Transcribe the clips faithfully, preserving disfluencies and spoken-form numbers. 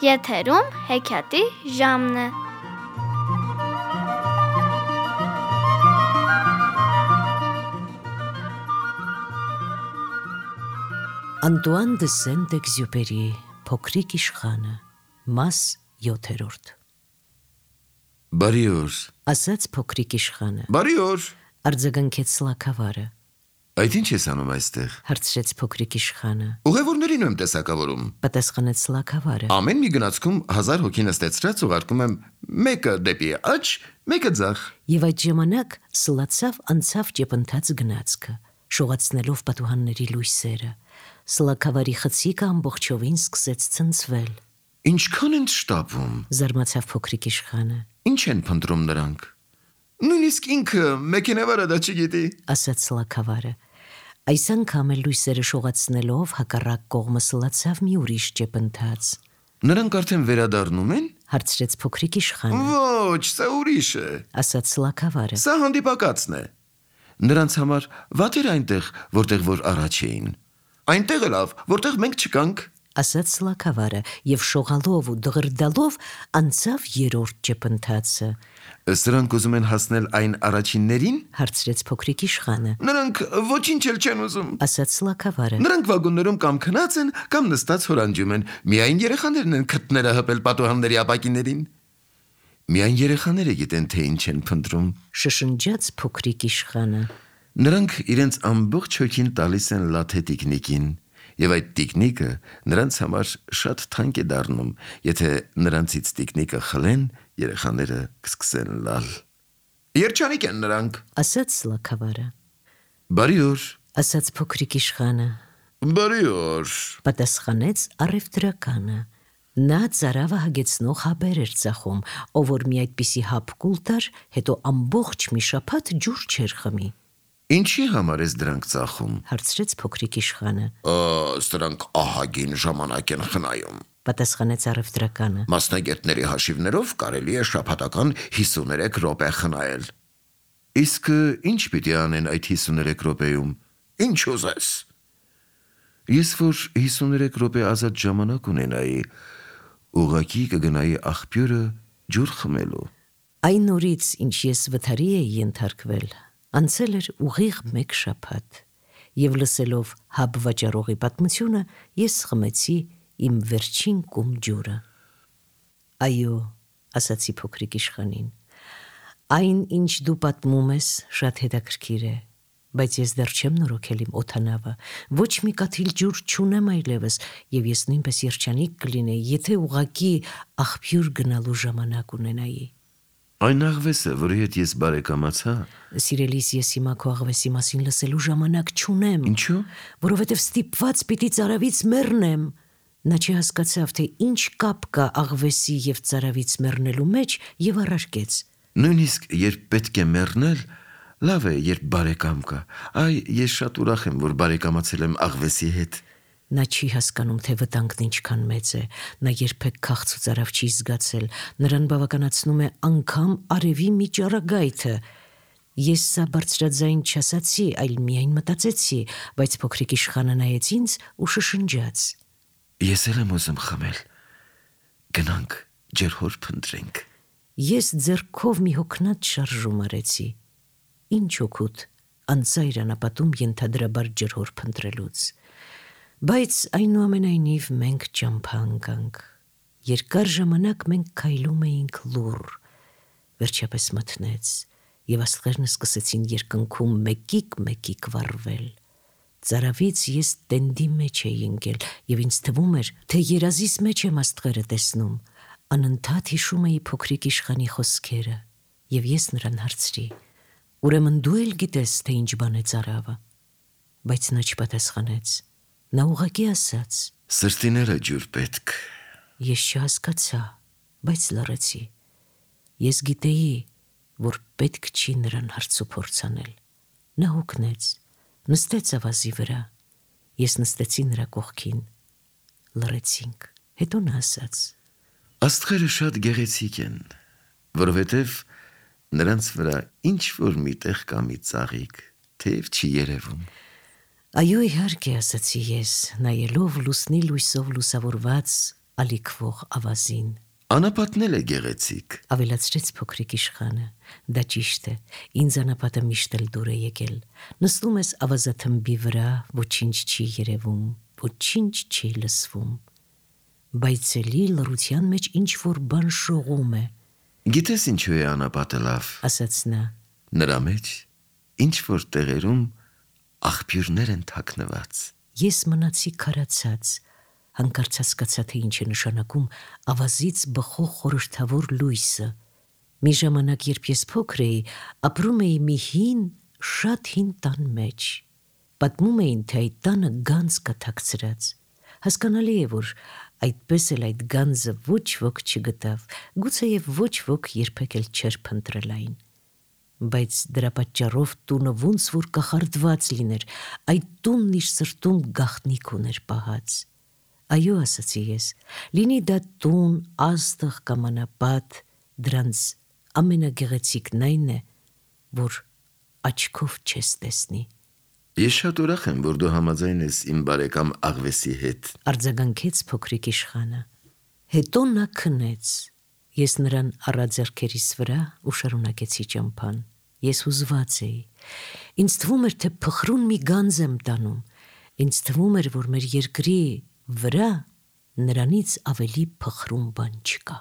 Եթերում հեքիաթի ժամն է։ Անտուան դը Սենտ-Էքզյուպերի Փոքրիկ իշխանը, մաս յոթերորդ։ Բարի օր, ասաց փոքրիկ իշխանը։ Բարի օր, արձագանքեց սլաքավարը։ Այդ ինչ ես անում այստեղ, հարցրեց փոքրիկ իշխանը։ Ուղևորներին եմ տեսակավորում, պատասխանեց սլաքավարը։ Ամեն մի գնացքում հազար հոգի նստեցրած ուղարկում եմ մեկը դեպի աջ, մեկը ձախ։ Եվ այդ ժամանակ սլացավ անցավ ճեպընթաց գնացքը, շողացնելով պատուհանների լույսերը։ Սլաքավարի խցիկը ամբողջովին սկսեց ցնցվել։ Ինչքան են շտապում, զարմացավ փոքրիկ իշխանը։ Ինչ են փնտրում նրանք։ Նույնիսկ ինքը մեքենավարը դա չգիտի, ասաց սլաքավարը։ Այս անգամ էլ լույսերը շողացնելով հակառակ կողմը սլացավ մի ուրիշ ճեպընթաց։ Նրանք արդեն վերադառնում են, հարցրեց փոքրիկ իշխանը։ Ոչ, սա ուրիշ է, ասաց սլաքավարը։ Սա հանդիպակացն է։ Նրանց համար վատ էր այնտեղ, որտեղ որ առաջ էին։ Այնտեղ է լավ, որտեղ մենք չկանք, ասաց սլաքավարը եւ շողալով ու դղրդալով անցավ երրորդ ճեպընթացը։ Սրանք ուզում են հասնել այն առաջիններին, հարցրեց փոքրիկ իշխանը։ Նրանք ոչինչ էլ չեն ուզում, ասաց սլաքավարը։ Նրանք վագոններում կամ քնած են, կամ նստած հորանջում են, միայն երեխաներն են քթները հպել պատուհանների ապակիներին։ Միայն երեխաները գիտեն, թե ինչ են փնտրում, շշնջաց փոքրիկ իշխանը։ Նրանք իրենց ամբողջ հոգին տալիս են լաթե տիկնիկին, եւ այդ տիկնիկը նրանց համար շատ թանկ է դառնում, եթե նրանցից տիկնիկը խլեն, երեխաները կսկսեն լալ։ Երջանիկ են նրանք, ասաց սլաքավարը։ Բարի օր, ասաց փոքրիկ իշխանը։ Բարի օր, պատասխանեց առևտրականը։ Նա ծարավը հագեցնող հաբեր էր ծախում, ով որ մի այդպիսի հապ կուլ տար, հետո ամբողջ մի շաբաթ ջուր չէր խմի։ Ինչի համար ես դրանք ծախում, հարցրեց փոքրիկ իշխանը։ Սրանք ահագին ժամանակ են խնայում, պատասխանեց առևտրականը։ Մասնագետների հաշիվներով կարելի է շաբաթական հիսուներեք րոպե խնայել։ Իսկ ինչ պիտի անեն այդ հիսուներեք րոպեում, ինչ ուզես։ Ես որ հիսուներեք րոպե ազատ ժամանակ ունենայի, ուղղակի կգնայի աղբյուրը ջուր խմելու։ Այն օրից, ինչ ես վթարի էի ենթարկվել, անցել էր ուղիղ մեկ շաբաթ, եւ լսելով հաբ վաճառողի պատմությունը, ես խմեցի իմ վերջին կում ջուրը։ Այո, ասացի փոքրիկ իշխանին, այն, ինչ դու պատմում ես, շատ հետաքրքիր է, բայց ես դեռ չեմ նորոգել իմ օդանավը, ոչ մի կաթիլ ջուր չունեմ այլևս, եւ ես նույնպես երջանիկ կլինեի, եթե ուղղակի աղբյուր գնալու ժամանակ ունենայի։ Այն աղվեսը, որի հետ ես բարեկամացա, Սիրելիս, ես հիմա քո աղվեսի մասին լսելու ժամանակ չունեմ։ Ինչու՞։ Որովհետև ստիպված պիտի ծարավից մեռնեմ։ Նա չհասկացավ, թե ինչ կապ կա աղվեսի եւ ծարավից մեռնելու մեջ եւ առարկեց. Նույնիսկ երբ պետք է մեռնել, լավ է, երբ բարեկամ կա։ Այ ես շատ ուրախ եմ, որ բարեկամացել եմ աղվեսի հետ։ Նա չի հասկանում, թե վտանգն ինչքան մեծ է։ Նա երբեք քաղց ու ծարավ չի զգացել։ Նրան բավականացնում է անգամ արևի մի ճառագայթը։ Ես սա բարձրաձայն չասացի, այլ միայն մտածեցի, բայց փոքրիկ իշխանը նայեց ինձ ու շշնջաց. Ես էլ եմ ուզում խմել։ Գնանք, ջրհոր փնտրենք։ Ես ձեռքով մի հոգնած շարժում արեցի։ Ինչ օգուտ անծայր անապատում ենթադրաբար ջրհոր փնտրելուց։ Բայց այնուամենայնիվ մենք ճամփա ընկանք։ Երկար ժամանակ մենք քայլում էինք լուռ։ Վերջապես մթնեց, եւ աստղերն սկսեցին երկնքում մեկիկ-մեկիկ վառվել։ Ծարավից ես տենդի մեջ էի ընկել, եւ ինձ թվում էր, թե երազիս մեջ եմ աստղերը տեսնում։ Անընդհատ հիշում էի փոքրիկ իշխանի խոսքերը, եւ ես նրան հարցրի. Ուրեմն դու էլ գիտես, թե ինչ բան է ծարավը։ Բայց նա չպատասխանեց։ Նա ուղղակի ասաց. Սրտիները ջուր պետք։ Ես չհասկացա, բայց լռեցի։ Ես գիտեի, որ պետք չի նրան հարցուփորձ անել։ Նա հոգնեց, նստեց ավազի վրա։ Ես նստեցի նրա կողքին։ Լռեցինք։ Հետո նա ասաց. Աստղերը շատ գեղեցիկ են, որովհետև նրանց վրա ինչ որ միտեղ կա մի ծաղիկ, թեև չի երևում։ Այո, իհարկե, ասացի ես, նայելով լուսնի լույսով լուսավորված ալիքվող ավազին։ Անապատն էլ է գեղեցիկ։ Ավելացրեց փոքրիկ իշխանը։ Դա ճիշտ է, ինձ անապատը միշտ էլ դուր է եկել։ Նստում ես ավազաթմբի վրա, ոչինչ չի երևում, ոչինչ չի լսվում։ Բայց էլի լռության մեջ ինչ-որ բան շողում է, Գիտես ինչու է անապատը լավ։ ասաց նա։ Նրա մեջ ինչ-որ տեղերում աղբյուրներ են թաքնված։ Ես մնացի քարացած, հանկարծ հասկացա, թե ինչ է նշանակում ավազից բխող խորհրդավոր լույսը։ Մի ժամանակ, երբ ես փոքր էի, ապրում էի մի հին, շատ հին տան մեջ։ Պատմում էին, թե այդ տանը գանձ կա թաքցրած։ Հասկանալի է, որ այդպես էլ այդ գանձը ոչ ոք չգտավ, գուցեև ոչ ոք երբեք էլ չէր փնտրել այն։ Բայց դրա պատճառով տունը ոնց որ կախարդված լիներ, այդ տունն իր սրտում գաղտնիք ուներ պահած։ Այո, ասացի ես, լինի դա տուն, աստղ կամ անապատ, դրանց ամենագեղեցիկն այն է, որ աչքով չես տեսնի։ Ես շատ ուրախ եմ, որ դու համաձայն ես իմ բարեկամ Աղվեսի հետ։ Արձագանքեց փոքրիկ իշխանը։ Հետո նա քնեց։ Ես նրան առա ձեռքերիս վրա ու շարունակեցի ճամփան։ Ես հուզված էի։ Ինձ թվում էր, թե փխրուն մի գանձ եմ տանում։ Ինձ թվում էր, որ մեր երկրի վրա նրանից ավելի փխրուն բան չկա։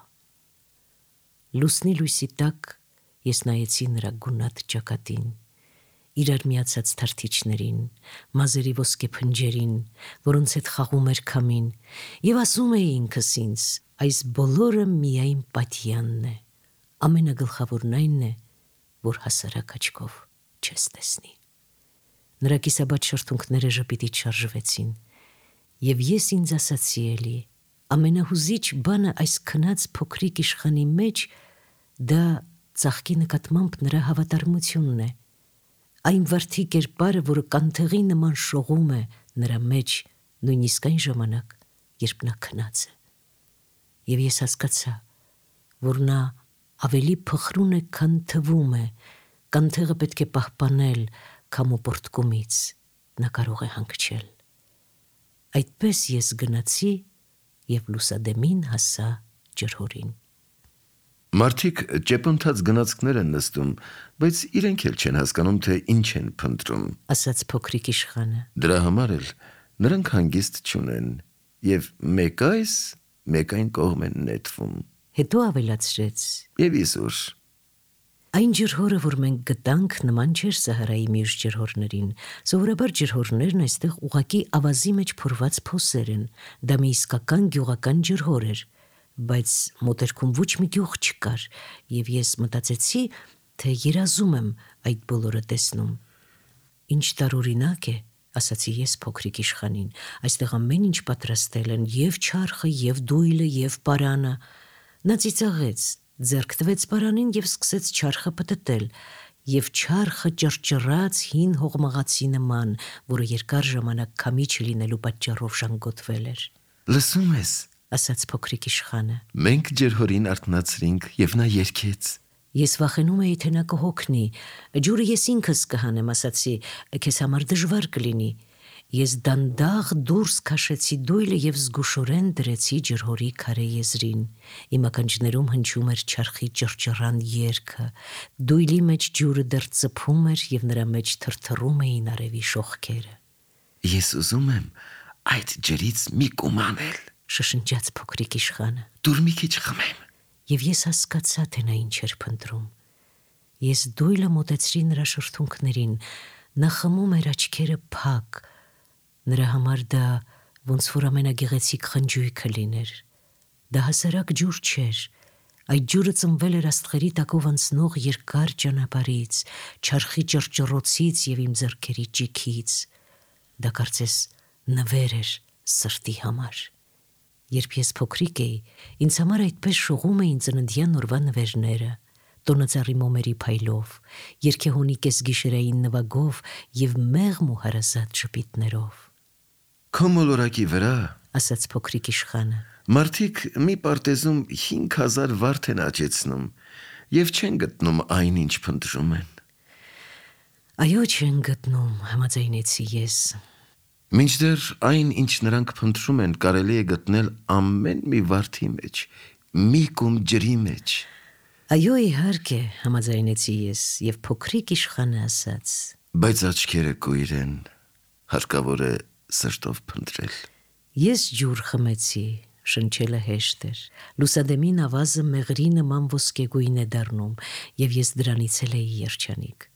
Լուսնի լույսի տակ ես նայեցի նրա գունատ ճակատին, իրար միացած թարթիչներին, մազերի ոսկե փնջերին, որոնց հետ խաղում էր քամին, եւ ասում էի ինքս ինձ, այս բոլորը միայն պատյանն է, ամենագլխավորն այն է, որ հասարակ աչքով չես տեսնի։ Նրա կիսաբաց շրթունքները ժպիտից շարժվեցին, եւ ես ինձ ասացի էլի, ամենահուզիչ բանը այս քնած փոքրիկ իշխանի մեջ դա ծաղկի նկատմամբ նրա հավատարմությունն է, այն վարդի կերպարը, որը կանթեղի նման շողում է նրա մեջ նույնիսկ այն ժամանակ, երբ նա քնած է։ Եվ ես հասկացա, որ նա ավելի փխրուն է, քան թվում է, կանթեղը պետք է պահպանել քամու պորտկումից, նա կարող է հանգչել։ Այդպես ես գնացի եւ լուսադեմին հասա ջրհորին։ Մարդիկ ճեպոնթած գնացքներ են նստում, բայց իրենք էլ չեն հասկանում, թե ինչ են փնտրում, ասաց փոքրիկ իշխանը։ Դրա համար էլ նրանք հանգիստ չունեն, եւ մեկ այս, մեկ այն կողմ են նետվում։ Հետո ավելացրեց. Եվ իսուր։ Այն ջրհորը, որ մենք գտանք, նման չէր Սահարայի մյուս ջրհորներին։ Սովորաբար ջրհորներն այստեղ ուղակի ավազի մեջ փորված փոսեր են։ Դա մի իսկական գյուղական ջրհոր էր, բայց մոտերքում ոչ մի գյուղ չկար, եւ ես մտածեցի, թե երազում եմ այդ բոլորը տեսնում։ Ինչ տարօրինակ է, ասացի ես փոքրիկ իշխանին, այստեղ ամեն ինչ պատրաստել են, եւ չարխը, եւ դույլը, եւ պարանը։ Նա ծիծաղեց, ձեռք տվեց պարանին եւ սկսեց չարխը պտտել, եւ չարխը ճռճռաց հին հողմաղացի նման, որը երկար ժամանակ քամի չլինելու պատճառով ժանգոտվել էր։ Լսում ես, ասաց փոքրիկ իշխանը։ մենք ջրհորին արթնացրինք եւ նա երգեց։ Ես վախենում էի, թե նա կհոգնի։ Ջուրը ես ինքս կհանեմ, ասացի, քեզ համար դժվար կլինի։ Ես դանդաղ դուրս քաշեցի դույլը եւ զգուշորեն դրեցի ջրհորի քարե եզրին։ Իմ ականջներում հնչում էր չարխի ճռճռան երգը։ Դույլի մեջ ջուրը դեռ ծփում էր եւ նրա մեջ թրթռում էին արևի շողքերը։ Ես ուզում եմ այդ ջրից մի կումանել, շշնջաց փոքրիկ իշխանը։ դուր մի քիչ խմեմ։ Եվ ես հասկացա, թե նա ինչ էր փնտրում։ Ես դույլը մոտեցրի նրա շրթունքներին, նա խմում էր աչքերը փակ։ Նրա համար դա ոնց որ ամենագեղեցիկ խնջույքը լիներ։ Դա հասարակ ջուր չէր։ Այդ ջուրը ծնվել էր աստղերի տակով անցնող երկար ճանապարհից, չարխի ճռճռոցից եւ իմ ձեռքերի ճիքից։ Դա կարծես նվեր էր սրտի համար։ Երբ ես փոքրիկ էի, ինձ համար այդպես շողում էին ծննդյան օրվա նվերները, տոնածառի մոմերի փայլով, երգեհոնի կեսգիշերային նվագով եւ մեղմ ու հարազատ շպիտներով։ Քո մոլորակի վրա, ասաց փոքրիկ իշխանը, մարդիկ մի պարտեզում հինգ հազար վարդ են աճեցնում եւ չեն գտնում այն, ինչ փնտրում են։ Այո, չեն գտնում, համաձայնեցի ես։ Մինչդեռ այն, ինչ նրանք փնտրում են, կարելի է գտնել ամեն մի վարդի մեջ, մի կում ջրի մեջ։ Այո, իհարկե, համաձայնեցի ես եւ փոքրիկ իշխանը ասաց. Բայց աչքերը կույր են, հարկավոր է սրտով փնտրել։ Ես ջուր խմեցի, շնչելը հեշտ էր։ Լուսադեմին ավազը մեղրի նման ոսկեգույն է դառնում, եւ ես դրանից էլ էի երջանիկ։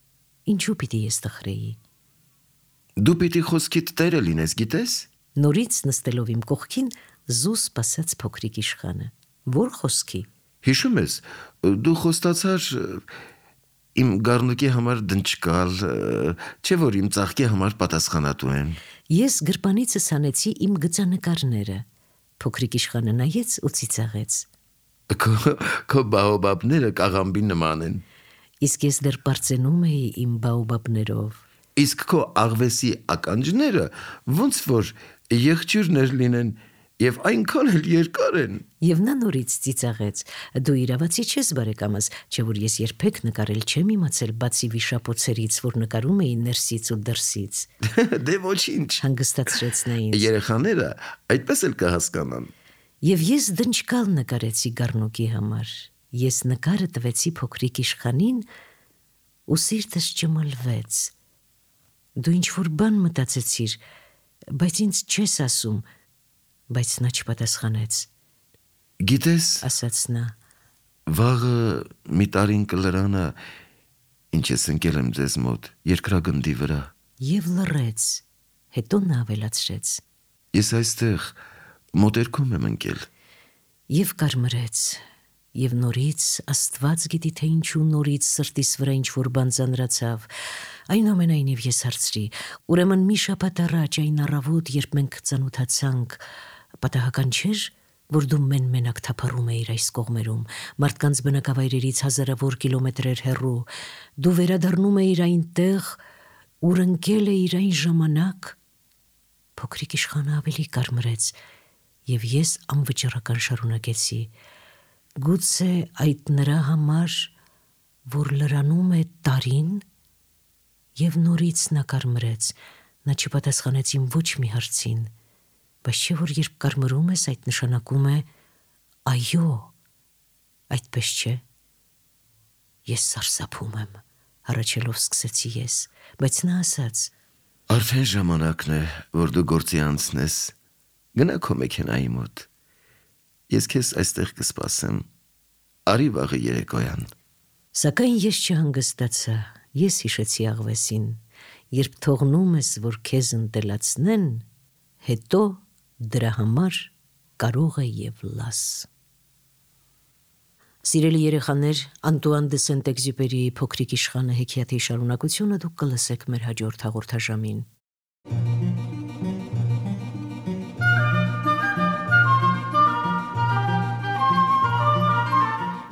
Ինչու պիտի ես տխրեի։ Դու պիտի խոսքիդ տերը լինես, գիտես։ Նորից նստելով իմ կողքին զուս սպասեց փոքրիկ իշխանը։ Որ խոսքի։ Հիշում ես, դու խոստացար իմ գառնուկի համար դնչկալ, չէ՞ որ իմ ծաղկի համար պատասխանատու եմ։ Ես գրպանիցս հանեցի իմ գծանկարները։ Փոքրիկ իշխանը նայեց ու ծիծաղեց։ Քո քո բաոբաբները կաղամբի նման են։ Իսկ ես դեռ բարձենում էի իմ բաոբաբներով։ Իսկ քո աղվեսի ականջները ոնց որ եղջյուրներ լինեն եւ այնքան էլ երկար են։ Եվ նա նորից ծիծաղեց։ Դու իրավացի չես, բարեկամս, չէ՞ որ ես երբեք նկարել չեմ իմացել, բացի վիշապոցերից, որ նկարում էի ներսից ու դրսից։ Դե ոչինչ, հանգստացրեց նա ինձ։ Երեխաները այդպես էլ կհասկանան։ Եվ ես դնչկալ նկարեցի գառնուկի համար։ Ես նկարը տվեցի փոքրիկ իշխանին ու սիրտս ճմլվեց։ Դու ինչ-որ բան մտածեցիր, բայց ինձ չես ասում, բայց նա չպատասխանեց։ Գիտես, ասաց նա, վաղը մի տարին կլրանը, ինչ ես ընկել եմ ձեզ մոտ, երկրագնդի վրա։ Եվ լռեց, հետո նա ավելացրեց. Ես այստեղ մոտերքում եմ ընկել։ Եվ կարմրեց, եւ նորից Աստված գիտի թե ինչու նորից սրտիս վրա ինչ-որ բան ծանրացավ։ Այնուամենայնիվ ես հարցրի. ուրեմն մի շաբաթ առաջ այն առավոտ, երբ մենք ծանոթացանք, պատահական չէր, որ դու մեն-մենակ թափառում էիր այս կողմերում, մարդկանց բնակավայրերից հազարավոր կիլոմետրեր հեռու, դու վերադառնում էիր այնտեղ, ուր ընկել էիր այն ժամանակ։ Փոքրիկ իշխանը ավելի կարմրեց, եւ ես անվճռական շարունակեցի. գուցե այդ նրա համար, որ լրանում է տարին։ Եվ նորից նա կարմրեց, նա չպատասխանեց իմ ոչ մի հարցին, բայց չէ որ երբ կարմրում ես, այդ նշանակում է այո, այդպես չէ։ Ես սարսափում եմ, հառաչելով սկսեցի ես, բայց նա ասաց. Արդեն ժամանակն է, որ դու գործի անցնես, գնա քո մեքենայի մոտ, ես քեզ այստեղ կսպասեմ, արի վաղը երեկոյան։ Սակայն ես չհանգստացա, ես հիշեցի աղվեսին, երբ թողնում ես, որ քեզ ընտելացնեն, հետո դրա համար կարող է եւ լաս։ Սիրելի երեխաներ, Անտուան դե Սենտ-Էքզյուպերիի Փոքրիկ իշխանը հեքիաթի շարունակությունը դուք կլսեք մեր հաջորդ հաղորդաշամին։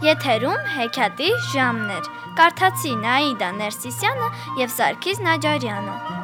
Եթերում հեքիաթի ժամն էր։ Կարդացի Նաիդա Ներսիսյանը եւ Սարգիս Նաջարյանը։